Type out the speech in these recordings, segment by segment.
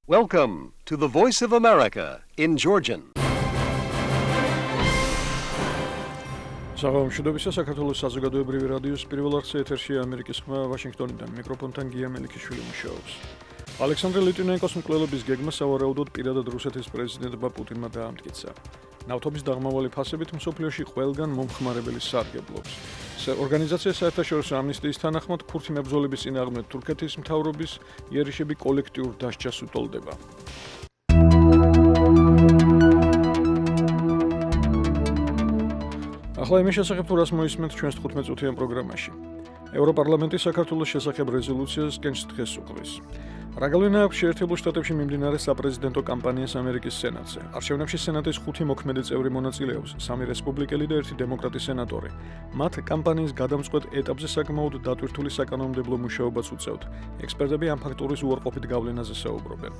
Welcome to the Voice of America in Georgian. Საღამოშიდობისა საქართველოს საზოგადოებრივი რადიოს პირველ არხზე ეთერშია ამერიკის ხმა ვაშინგტონიდან მიკროფონთან გია მელიქიშვილი მუშაობს. ალექსანდრე ლიტვინენკოს მკვლელობის გეგმა სავარაუდოდ პირადად რუსეთის პრეზიდენტმა პუტინმა დაამტკიცა. ნავთობის დაღმავალი ფასებით მსოფლიოში ყველგან მომხმარებელი სარგებლობს. ორგანიზაცია საერთაშორისო ამნისტიის თანახმად ქურთი მებრძოლების წინააღმდეგ თურქეთის მთავრობის იერიშები კოლექტიურ დასჯას უტოლდება. ახლა იმის შესახებ თუ რას მოისმენთ ჩვენს 15 წუთიან პროგრამაში. ევროპარლამენტი საქართველოს შესახებ რეზოლუციას კენჭს დღეს უყრის. რა გავლენა აქვს შეერთებულ შტატებში მიმდინარე საპრეზიდენტო კამპანიას ამერიკის სენატზე. არჩევნებში სენატის 5 მოქმედი წევრი მონაწილეობს, 3 რესპუბლიკელი და 1 დემოკრატი სენატორი. მათ კამპანიის გადამწყვეტ ეტაპზე საკმაოდ დატვირთული საკანონმდებლო მუშაობაც უწევთ. ექსპერტები ამ ფაქტორის უარყოფით გავლენაზე საუბრობენ.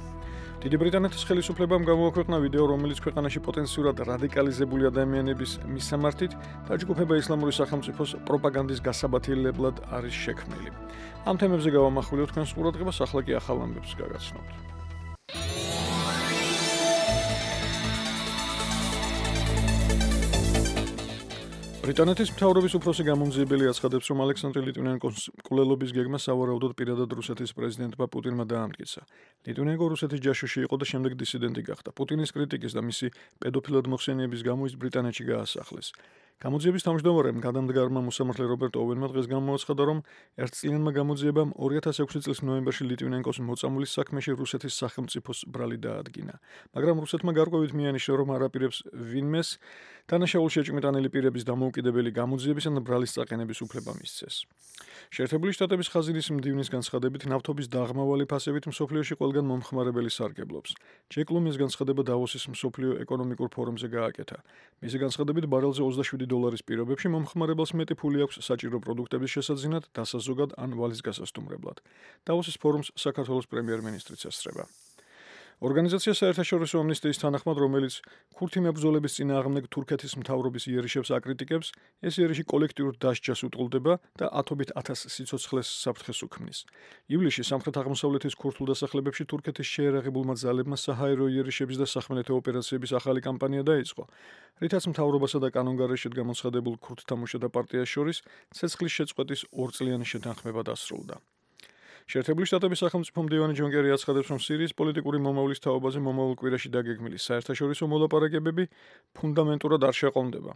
დიდი ბრიტანეთის ხელისუფლებამ გამოაქვეყნა ვიდეო, რომელიც ქვეყანაში პოტენციურად რადიკალიზებული ადამიანების მისამართით დაჯგუფება ისლამური სახელმწიფოს პროპაგანდის გასაბათილებლად არის შექმნილი. ამ თემებზე გავამახვილებთ თქვენს ყურადღებას, ახლა კი ახალ ამბებს გაგაცნობთ. ბრიტანეთის მთავრობის უფროსი გამომძიებელი აცხადებს, რომ ალექსანდრე ლიტვინენკოს მკვლელობის გეგმა სავარაუდოდ პირადად რუსეთის პრეზიდენტმა პუტინმა დაამტკიცა. ლიტვინენკო რუსეთის ჯაშუში იყო და შემდეგ დისიდენტი გახდა. პუტინის კრიტიკის და მისი პედოფილად მოხსენიების გამო ის ბრიტანეთში გაასახლეს. გამოძიების თავმჯდომარემ გადამდგარმა მოსამართლე რობერტ ოვენმა დღეს გამოაცხადა, რომ ერთწლიანმა გამოძიებამ 2006 წლის ნოემბერში ლიტვინენკოს მოწამვლის საქმეში რუსეთის სახელმწიფოს ბრალი დაადგინა. მაგრამ რუსეთმა გარკვევით მიანიშნა, რომ არ აპირებს ვინმეს დანაშაულ შეჭმიტანილი პირების დამოუკიდებელი გამოძიების ან ბრალის წაყენების უფლება მისცეს. შეერთებული შტატების ხაზინის მდივნის განცხადებით, ნავთობის დაღმავალი ფასებით მსოფლიოში ყველგან მომხმარებელი სარგებლობს. ჯეკ ლუმის განცხადება დავოსის მსოფლიო ეკონომიკურ ფორუმზე გააკეთა. მისი განცხადებით, ბარელზე $20 პირობებში მომხმარებელს მეტი ფული აქვს საჭირო პროდუქტების შესაძინად, დასაზოგად ან ვალის გასასტუმრებლად. დავოსის ფორუმს საქართველოს პრემიერ-მინისტრიც ესწრება. ორგანიზაცია საერთაშორისო ამნისტიის თანახმად, რომელიც ქურთი მებრძოლების წინააღმდეგ თურქეთის მთავრობის იერიშებს აკრიტიკებს, ეს იერიში კოლექტიურ დასჯას უტოლდება და ათობით ათას სიცოცხლეს საფრთხეს უქმნის. ივლისში სამხრეთ-აღმოსავლეთის ქურთულ დასახლებებში თურქეთის შეერაღებულმა ძალებმა საჰაერო იერიშების და სახმელეთო ოპერაციების ახალი კამპანია დაიწყო, რითაც მთავრობასა და კანონგარეშედ გამოცხადებულ ქურთთა მუშათა პარტიას შორის ცეცხლის შეწყვეტის 2 წლიანი შეთანხმება დასრულდა. შეერთებული შტატების სახელმწიფო მდივანი ჯონ კერი აცხადებს, რომ სირიის პოლიტიკური მომავლის თაობაზე მომავალ კვირაში დაგეგმილი საერთაშორისო მოლაპარაკებები ფუნდამენტურად არ შეყრდნობა.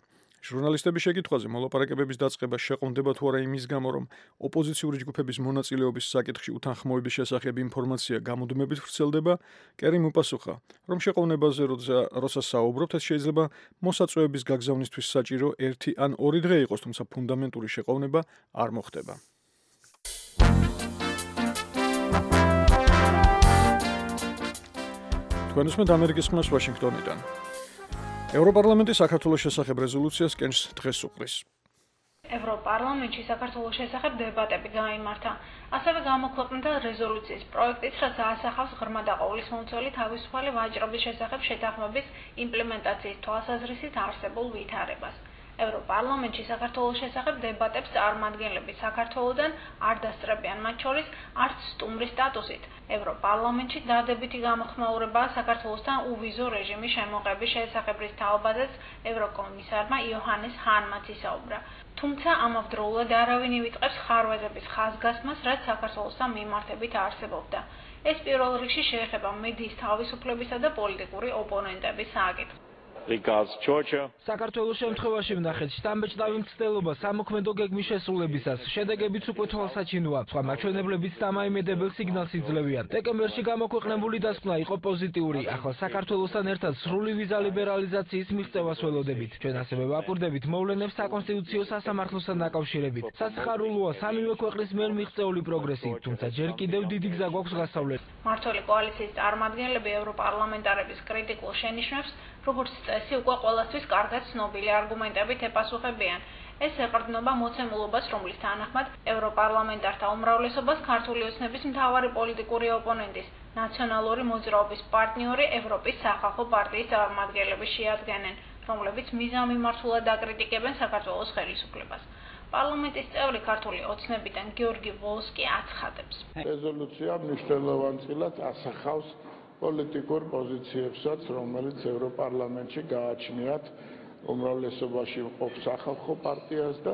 ჟურნალისტების შეკითხვაზე მოლაპარაკებების დაწყება შეყრდნობა თუ არა იმის გამო, რომ ოპოზიციური ჯგუფების მონაწილეობის საკითხში უთანხმოების შესახებ ინფორმაცია გამუდმებით ვრცელდება, კერიმ უპასუხა, რომ შეყრდნობაზე როცა საუბრობთ, ეს შეიძლება მოსაწვევების გაგზავნისთვის საჭირო 1 ან 2 დღე იყოს, თუმცა ფუნდამენტური შეყრდნობა არ მოხდება. თქვენსმენთ ამერიკის ხმას ვაშინგტონიდან. ევროპარლამენტი საქართველოს შესახებ რეზოლუციას კენჭს დღეს უყრის. ევროპარლამენტში საქართველოს შესახებ დებატები გაიმართა. ასევე გამოქვეყნდა რეზოლუციის პროექტიც, რაც ასახავს ღრმა და ყოვლისმომცველი თავისუფალი ვაჭრობის შესახებ შეთანხმების იმპლემენტაციის თვალსაზრისით არსებულ ვითარებას. ევროპარლამენტში საქართველოს შესახებ დებატებს წარმომადგენლები საქართველოდან არ დასწრებიან, მათ შორის არც სტუმრის სტატუსით. ევროპარლამენტში დადებითი გამოხმაურებაა საქართველოსთან უვიზო რეჟიმის შემოღების შესახებ, რის თაობაზეც ევროკომისარმა იოჰანეს ჰანმა ისაუბრა. თუმცა ამავდროულად არავინ ივიწყებს ხარვეზების ხაზგასმას, რაც საქართველოსთან მიმართებით არსებობდა. ეს პირველ რიგში შეეხება მედიის თავისუფლებისა და პოლიტიკური ოპონენტების საკითხს. საქართველოს შემთხვევაში ვნახეთ შთამბეჭდავი მცდელობა სამოქმედო გეგმის შესრულებისას. შედეგებიც უკვე თვალსაჩინოა. სხვა მაჩვენებლებიც დამაიმედებელ სიგნალს იძლევიან. დეკემბერში გამოქვეყნებული დასკვნა იყო პოზიტიური. ახლა საქართველოსთან ერთად სრული ვიზა ლიბერალიზაციის მიღწევას ველოდებით. ჩვენ ასევე ვაკვირდებით მოვლენებს საკონსტიტუციო სასამართლოსთან დაკავშირებით. სასიხარულოა სამივე ქვეყნის მიერ მიღწეული პროგრესი, თუმცა ჯერ კიდევ დიდი გზა გვაქვს გასავლელი. მმართველი კოალიციის წარმომადგენლები ევროპარლამენტარების კრიტიკულ შენიშვნებს, როგორც წესი, უკვე ყველასთვის კარგად ცნობილი არგუმენტებით ეპასუხებიან. ეს ეყრდნობა მოცემულობას, რომლის თანახმად ევროპარლამენტართა უმრავლესობას ქართული ოცნების მთავარი პოლიტიკური ოპონენტის, ნაციონალური მოძრაობის პარტნიორი ევროპის სახალხო პარტიის წარმომადგენლები შეადგენენ, რომლებიც მიზანმიმართულად აკრიტიკებენ საქართველოს ხელისუფლებას. პარლამენტის წევრი ქართული ოცნებიდან გიორგი ვოლსკი აცხადებს. რეზოლუცია მნიშვნელოვანწილად ასახავს პოლიტიკურ პოზიციებსაც, რომელიც ევროპარლამენტში გააჩნიათ უმრავლესობაში მყოფ სახალხო პარტიას და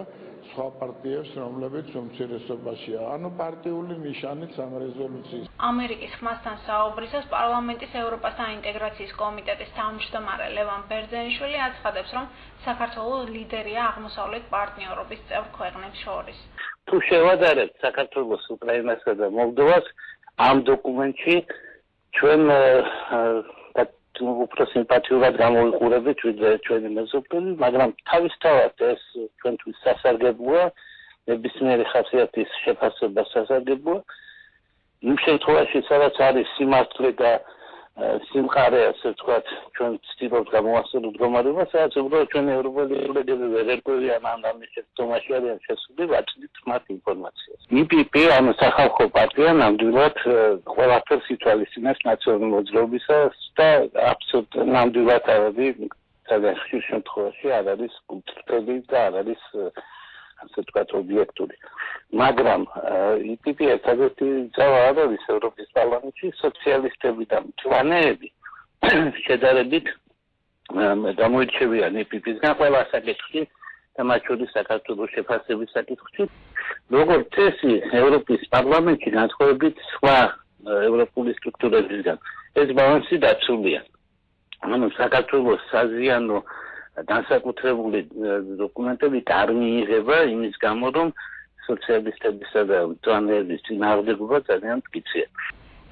სხვა პარტიებს, რომლებიც უმცირესობაშია. ანუ პარტიული ნიშანიც ამ რეზოლუციის. ამერიკის ხმასთან საუბრისას პარლამენტის ევროპასთან ინტეგრაციის კომიტეტის თავმჯდომარე ლევან ბერძენიშვილი აცხადებს, რომ საქართველოს ლიდერია აღმოსავლეთ პარტნიორობის წევრ ქვეყნებს შორის. თუ შევადარებთ საქართველოს, უკრაინასა და მოლდოვას ამ დოკუმენტში ჩვენ უფრო სიმპათიურად გამოვიყურებით ვიდრე ჩვენი მეზობელი, მაგრამ თავისთავად ეს ჩვენთვის სასარგებლოა, ნებისმიერი ხასიათის შეფასება სასარგებლოა. იმ შემთხვევაში, სადაც არის სიმართლე და სიმყარე, ასე ვთქვათ, ჩვენ ვცდილობთ გამოვასწოროთ მდგომარეობა, სადაც უბრალოდ ჩვენი ევროპელი კოლეგები ვერ ერკვევიან ამ ამის შეცდომაში არიან შესული, ვაწვდით მათ ინფორმაციას. EPP, ანუ სახალხო პარტია, ნამდვილად ყველაფერს ითვალისწინებს ნაციონალური მოძრაობისას და აბსოლუტურად ნამდვილად სადაც ხშირ შემთხვევაში არ არის კულტურული და არ არის ასე ვთქვათ ობიექტური. მაგრამ EPP ერთადერთი ძალა არ არის ევროპის პარლამენტში, სოციალისტები და მწვანეები შედარებით გამოირჩევიან EPP-სგან ყველა საკითხში და მათ შორის საქართველოს შეფასების საკითხში. როგორც წესი, ევროპის პარლამენტში განსხვავებით სხვა ევროპული სტრუქტურებისგან ეს ბალანსი დაცულია. ანუ საქართველოს საზიანო განსაკუთრებული დოკუმენტები არ მიიღება იმის გამო, რომ სოციალისტებისა და მწვანეების წინააღმდეგობა ძალიან მტკიცეა.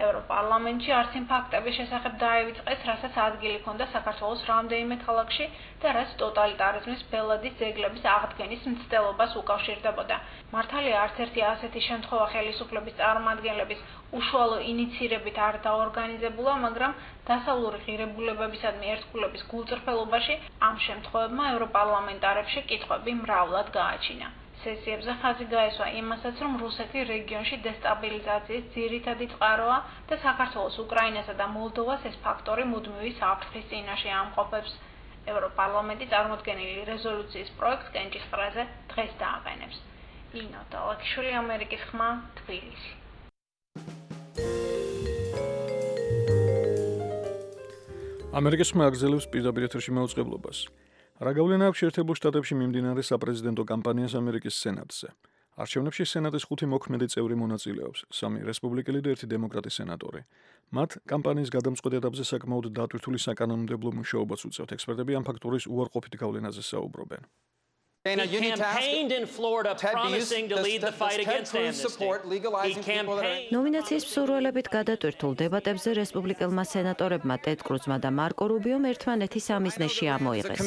ევროპარლამენტში არსიმ ფაქტების შესახებ დაივიწყეს, რასაც ადგილი ჰქონდა საქართველოს რამდენიმე ქალაქში და რაც ტოტალიტარიზმის ბელადის ძეგლების აღდგენის მცდელობას უკავშირდებოდა. მართალია არც ერთი ასეთი შემთხვევა ხელისუფლების წარმომადგენლების უშუალო ინიცირებით არ დაორგანიზებულა, მაგრამ დასავლური ღირებულებებისადმი ერთგულების გულწრფელობაში ამ შემთხვევებმა ევროპარლამენტარებში კითხვები მრავლად გააჩინა. სესიებზე ხაზი გაესვა იმასაც, რომ რუსეთი რეგიონში დესტაბილიზაციის ძირითადი წყაროა და საქართველოს, უკრაინასა და მოლდოვას ეს ფაქტორი მუდმივი საფრთხის წინაშე ამყოფებს. ევროპარლამენტი წარმოდგენილი რეზოლუციის პროექტს კენჭისყრაზე დღეს დააყენებს. ინო დალაქიშვილი, ამერიკის ხმა, თბილისი. ამერიკის ხმა აგრძელებს პირდაპირ ეთერში მაუწყებლობას. რა გავლენა აქვს შეერთებულ შტატებში მიმდინარე საპრეზიდენტო კამპანიას ამერიკის სენატზე? არჩევნებში სენატის 5 მოქმედი წევრი მონაწილეობს, 3 რესპუბლიკელი და 1 დემოკრატი სენატორი. მათ კამპანიის გადამწყვეტ ეტაპზე საკმაოდ დატვირთული საკანონმდებლო მუშაობაც უწევთ. ექსპერტები ამ ფაქტორის უარყოფით გავლენაზე საუბრობენ. He campaigned in Florida promising to lead the fight against amnesty. He campaigned ნომინაციის მსურველებით გადატვირთულ დებატებზე რესპუბლიკელმა სენატორებმა ტედ კრუზმა და მარკო რუბიომ ერთმანეთის სამიზნეში ამოიღეს.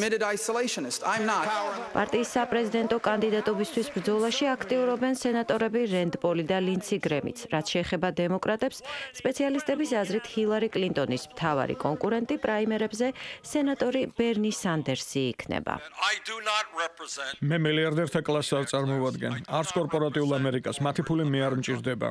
პარტიის საპრეზიდენტო კანდიდატობისთვის ბრძოლაში აქტიურობენ სენატორები რენდ პოლი და ლინდსი გრემიც. რაც შეეხება დემოკრატებს, სპეციალისტების აზრით ჰილარი კლინტონის მთავარი კონკურენტი პრაიმერებზე სენატორი ბერნი სანდერსი იქნება. მე მილიარდერთა კლასს არ წარმოვადგენ. არც კორპორატიულ ამერიკას, მათი ფული მე არ მჭირდება.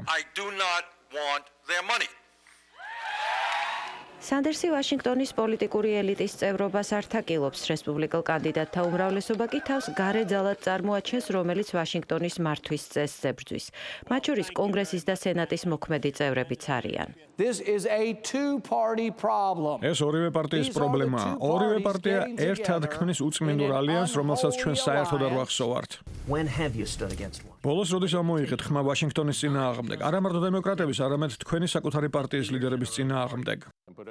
სანდერსი ვაშინგტონის პოლიტიკური ელიტის წევრობას არ თაკილობს, რესპუბლიკელ კანდიდატთა უმრავლესობა კი თავს გარე ძალად წარმოაჩენს, რომელიც ვაშინგტონის მართვის წესს ებრძვის. მათ შორის კონგრესის და სენატის მოქმედი წევრებიც არიან. ეს ორივე პარტიის პრობლემაა. ორივე პარტია ერთად ქმნის უწმინდურ ალიანსს, რომელსაც ჩვენ საერთოდ არ ვახსოვართ. ბოლოს როდის ამოიღეთ ხმა ვაშინგტონის წინააღმდეგ, არა მარტო დემოკრატების, არამედ თქვენი საკუთარი პარტიის ლიდერების წინააღმდეგ.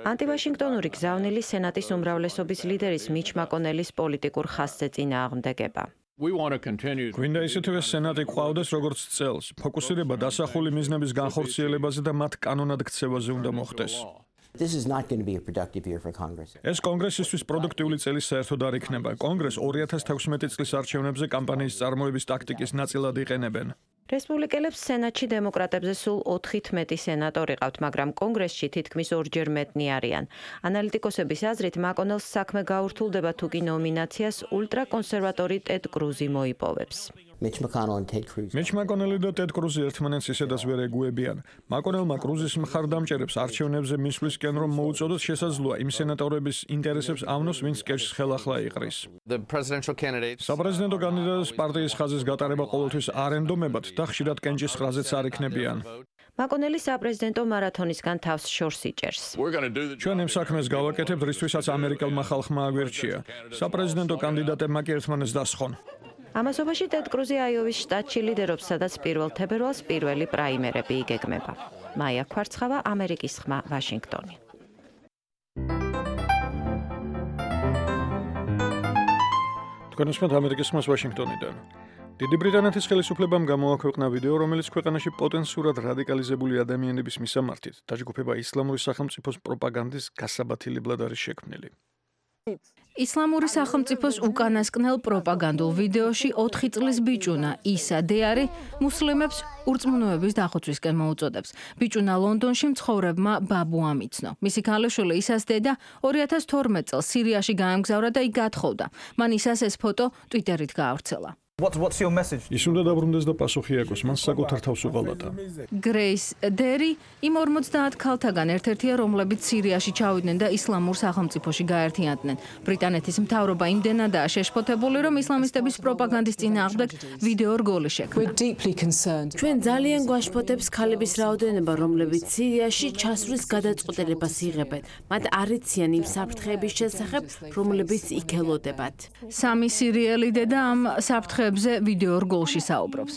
ანტივაშინგტონური გზავნილი სენატის უმრავლესობის ლიდერის მიჩ მაკონელის პოლიტიკურ ხაზზე წინააღმდეგება. გვინდა ისეთივე სენატი ყავდეს როგორც წელს. ფოკუსირება დასახული მიზნების განხორციელებაზე და მათ კანონად ქცევაზე უნდა მოხდეს. ეს კონგრესისთვის პროდუქტიული წელი საერთოდ არ იქნება. კონგრესს 2016 წლის არჩევნებზე კამპანიის წარმოების ტაქტიკის ნაწილად იყენებენ. რესპუბლიკელებს სენატში დემოკრატებზე სულ 4 სენატორი ყავთ, მაგრამ კონგრესში თითქმის ორჯერ მეტნი არიან. ანალიტიკოსების აზრით, მაკონელს საქმე გაურთულდება თუ კი ნომინაციას ულტრაკონსერვატორი ტედ კრუზი მოიპოვებს. მიჩ მაკონელი და ტედ კრუზი ერთმანეთს ისედაც ვერ ეგუებიან. მაკონელმა კრუზის მხარდამჭერებს არჩევნებზე მისვლისკენ რომ მოუწოდოთ შესაძლოა იმ სენატორების ინტერესებს ავნოს, ვინც კეშს ხელახლა იყრის. საპრეზიდენტო კანდიდატის პარტიის ხაზის გატარება ყოველთვის არ ენდომებათ და ხშირად კენჭისყრაზეც არ იქნებიან. მაკონელი საპრეზიდენტო მარათონისგან თავს შორს იჭერს. ჩვენ იმ საქმეს გავაკეთებთ, რისთვისაც ამერიკელმა ხალხმა აგვერჩია. საპრეზიდენტო კანდიდატებმა კი ერთმანეთს დასხონ. ამასობაში ტედ კრუზი აიოვის შტატში ლიდერობს, სადაც 1 თებერვალს პირველი პრაიმერები იგეგმება. მაია ქვარცხავა, ამერიკის ხმა, ვაშინგტონი. თქვენ უსმენთ ამერიკის ხმას ვაშინგტონიდან. დიდი ბრიტანეთის ხელისუფლებამ გამოაქვეყნა ვიდეო, რომელიც ქვეყანაში პოტენციურად რადიკალიზებული ადამიანების მისამართით დაჯგუფება ისლამური სახელმწიფოს პროპაგანდის გასაბათილებლად არის შექმნილი. ისლამური სახელმწიფოს უკანასკნელ პროპაგანდულ ვიდეოში 4 წლის ბიჭუნა ისა დეარი მუსლიმებს ურწმუნოების დახოცვისკენ მოუწოდებს. ბიჭუნა ლონდონში მცხოვრებმა ბაბუ ამიცნო. მისი ქალიშვილი ისას დედა 2012 წელს სირიაში გაემგზავრა და იქ გათხოვდა. მან ისას ეს ფოტო ტვიტერით გაავრცელა. ის უნდა დაბრუნდეს და პასუხი აკოს, მან საკუთარ თავს უღალატა. გრეის დერი იმ 50 ქალთაგან ერთ-ერთია, რომლებიც სირიაში ჩავიდნენ და ისლამურ სახელმწიფოში გაერთიანდნენ. ბრიტანეთის მთავრობა იმდენადაა შეშფოთებული, რომ ისლამისტების პროპაგანდის წინააღმდეგ ვიდეო რგოლი შექმნა. ჩვენ ძალიან გვაშფოთებს ქალების რაოდენობა, რომლებიც სირიაში ჩასვლის გადაწყვეტილებას იღებენ. მათ არ იციან იმ საფრთხეების შესახებ, რომლებიც იქ ელოდებათ. სამი სირიელი დედა ამ საფრთხეებზე ვიდეო რგოლში საუბრობს.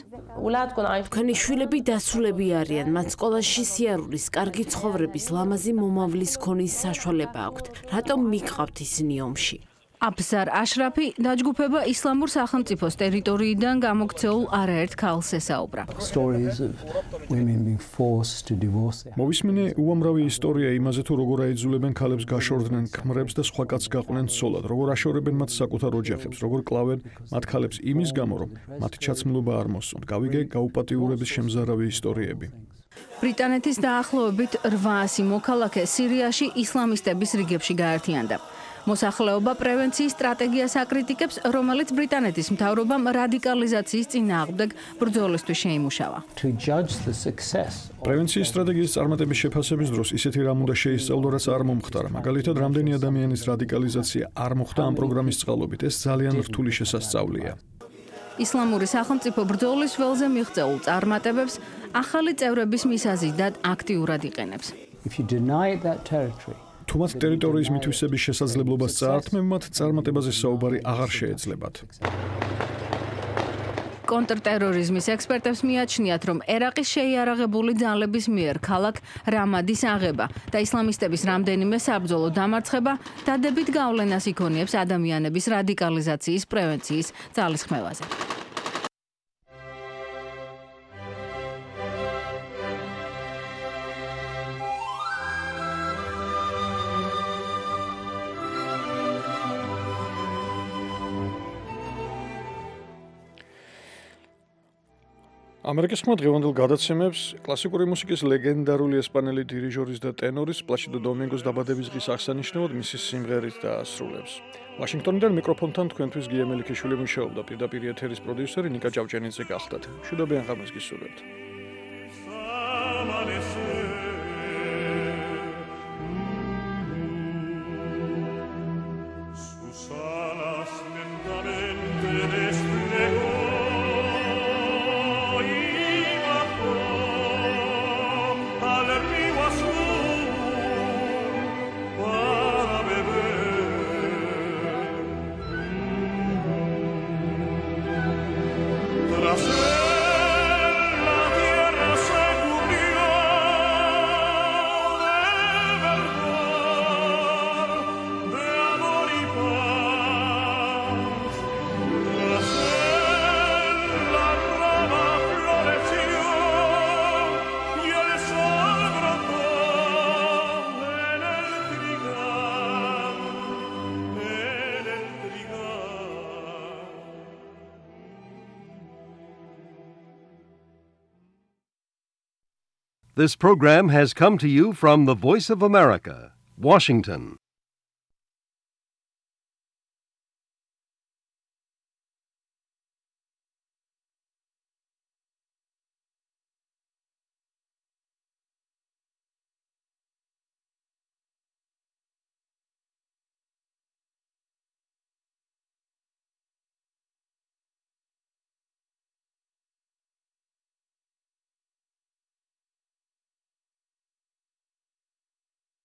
თქვენი შვილები დასულები არიან, მათ სკოლაში სიარულის, კარგი ცხოვრების, ლამაზი მომავლის ქონის საშუალება აქვთ. რატომ მიყავთ ისინი ომში? აბზარ აშრაფი დაჯგუფება ისლამურ სახელმწიფოს ტერიტორიიდან გამოქცეულ არაერთ ქალს ესაუბრა. მოვისმინე უამრავი ისტორია იმაზე, თუ როგორ აიძულებენ ქალებს გაშორდნენ ქმრებს და სხვა კაცს გაყვნენ ცოლად, როგორ აშორებენ მათ საკუთარ ოჯახებს, როგორ კლავენ მათ ქალებს იმის გამო, რომ მათი ჩაცმულობა არ მოსწონთ. გავიგე გაუპატიურების შემზარავი ისტორიები. ბრიტანეთის დაახლოებით 800 მოქალაქე სირიაში ისლამისტების რიგებში გაერთიანდა. მოსახლეობა პრევენციის სტრატეგიას აკრიტიკებს, რომელიც ბრიტანეთის მთავრობამ რადიკალიზაციის წინააღმდეგ ბრძოლისთვის შეიმუშავა. პრევენციის სტრატეგიის წარმატების შეფასების დროს ისეთი რამ უნდა შეისწავლო, რაც არ მომხდარა. მაგალითად, რამდენი ადამიანის რადიკალიზაცია არ მოხდა ამ პროგრამის წყალობით. ეს ძალიან რთული შესასწავლია. ისლამური სახელმწიფო ბრძოლის ველზე მიღწეულ წარმატებებს ახალი წევრების მისაზიდად აქტიურად იყენებს. თუ მათ ტერიტორიის მითვისების შესაძლებლობას წაართმევთ, წარმატებაზე საუბარი აღარ შეეძლებათ. კონტრტერორიზმის ექსპერტებს მიაჩნიათ, რომ ერაყის შეიარაღებული ძალების მიერ ქალაქ რამადის აღება და ისლამისტების რამდენიმე საბრძოლო დამარცხება დადებით გავლენას იქონიებს ადამიანების რადიკალიზაციის პრევენციის ძალისხმევაზე. ამერიკის ხმა დღევანდელ გადაცემებს კლასიკური მუსიკის ლეგენდარული ესპანელი დირიჟორის და ტენორის პლაშიდო დომინგოს დაბადების დღის აღსანიშნავად მისი სიმღერით დაასრულებს. ვაშინგტონიდან მიკროფონთან თქვენთვის გია მელიქიშვილი მუშაობდა, პირდაპირ ეთერის პროდიუსერი ნიკა ჭავჭენიძე გახდათ. მშვიდობიან ღამეს გისურვებთ. This program has come to you from the Voice of America, Washington.